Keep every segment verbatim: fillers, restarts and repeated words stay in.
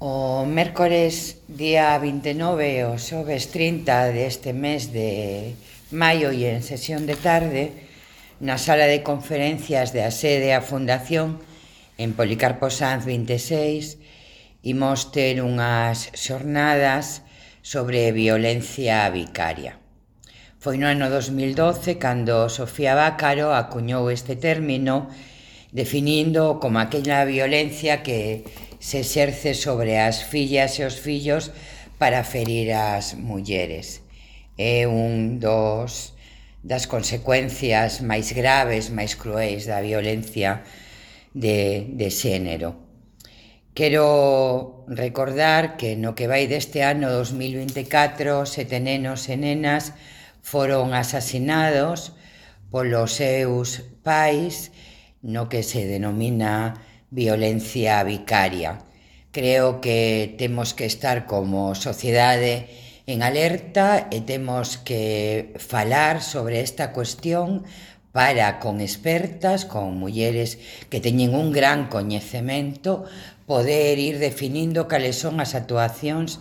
O mércores día vinte e nove e o xoves trinta deste mes de maio e en sesión de tarde, na sala de conferencias de a sede a Fundación, en Policarpo Sanz vinte e seis, imos ter unhas xornadas sobre violencia vicaria. Foi no ano dos mil doce cando Sofía Bácaro acuñou este término, definindo como aquela violencia que se exerce sobre as fillas e os fillos para ferir as mulleres. É un dos das consecuencias máis graves, máis cruéis da violencia de, de xénero. Quero recordar que no que vai deste ano dos mil vinte e catro, sete nenos e nenas foron asasinados polos seus pais no que se denomina violencia vicaria. Creo que temos que estar como sociedade en alerta e temos que falar sobre esta cuestión para, con expertas, con mulleres que teñen un gran coñecemento, poder ir definindo cales son as actuacións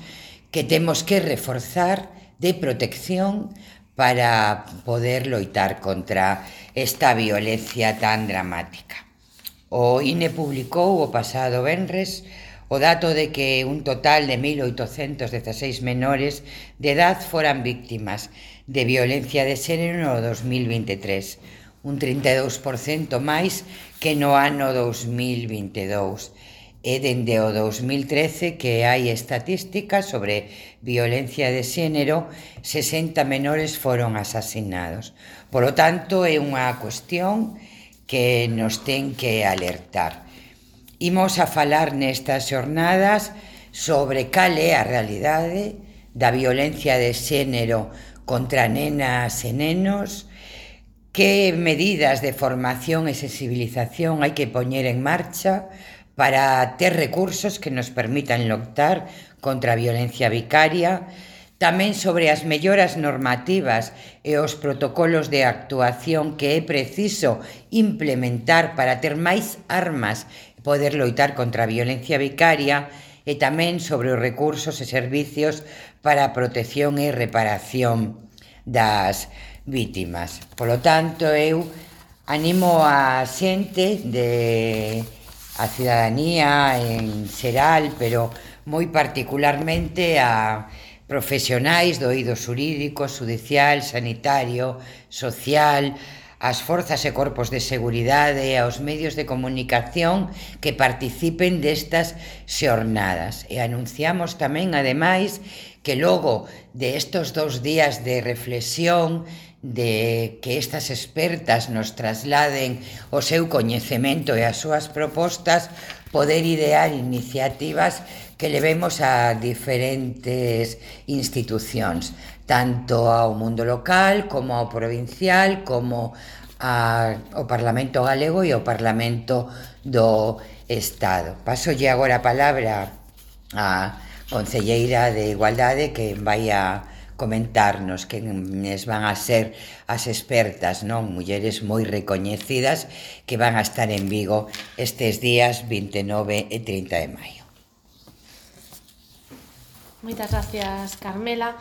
que temos que reforzar de protección para poder loitar contra esta violencia tan dramática. O I N E publicou o pasado venres o dato de que un total de mil oitocentos dezaseis menores de edad foran víctimas de violencia de xénero no dos mil vinte e tres, un trinta e dous por cento máis que no ano dos mil vinte e dous. E dende o dos mil trece que hai estatísticas sobre violencia de xénero, sesenta menores foron asasinados. Por lo tanto, é unha cuestión que nos ten que alertar. Imos a falar nestas xornadas sobre cal é a realidade da violencia de xénero contra nenas e nenos, que medidas de formación e sensibilización hai que poñer en marcha para ter recursos que nos permitan loitar contra a violencia vicaria, tamén sobre as melloras normativas e os protocolos de actuación que é preciso implementar para ter máis armas e poder loitar contra a violencia vicaria, e tamén sobre os recursos e servicios para a protección e reparación das vítimas. Polo tanto, eu animo a xente de a cidadanía en xeral, pero moi particularmente a profesionais do eido xurídico, xudicial, sanitario, social, as forzas e corpos de seguridade e aos medios de comunicación que participen destas xornadas. E anunciamos tamén, ademais, que logo de estos dous días de reflexión, de que estas expertas nos trasladen o seu coñecemento e as súas propostas, poder idear iniciativas que levemos a diferentes institucións, tanto ao mundo local, como ao provincial, como a, ao Parlamento Galego e ao Parlamento do Estado. Pasolle agora a palabra a concelleira de Igualdade, que vai a comentarnos quenes van a ser as expertas, non? Mulleres moi recoñecidas que van a estar en Vigo estes días vinte e nove e trinta de maio. Moitas gracias, Carmela.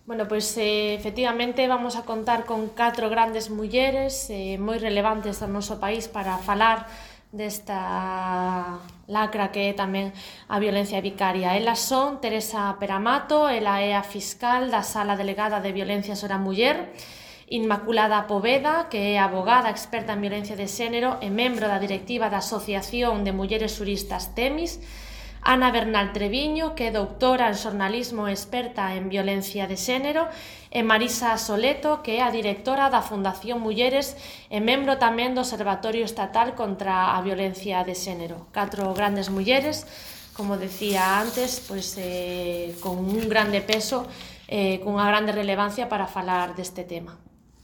Bueno, pois eh, efectivamente vamos a contar con catro grandes mulleres eh, moi relevantes do noso país para falar desta lacra que é tamén a violencia vicaria. Elas son Teresa Peramato, ela é a fiscal da Sala Delegada de Violencia sobre a Muller, Inmaculada Poveda, que é abogada experta en violencia de xénero e membro da directiva da Asociación de Mulleres Xuristas Temis, Ana Bernal Treviño, que é doutora en xornalismo e experta en violencia de xénero, e Marisa Soleto, que é a directora da Fundación Mulleres e membro tamén do Observatorio Estatal contra a Violencia de Xénero. Catro grandes mulleres, como decía antes, pois, eh, con un grande peso, eh, cunha grande relevancia para falar deste tema.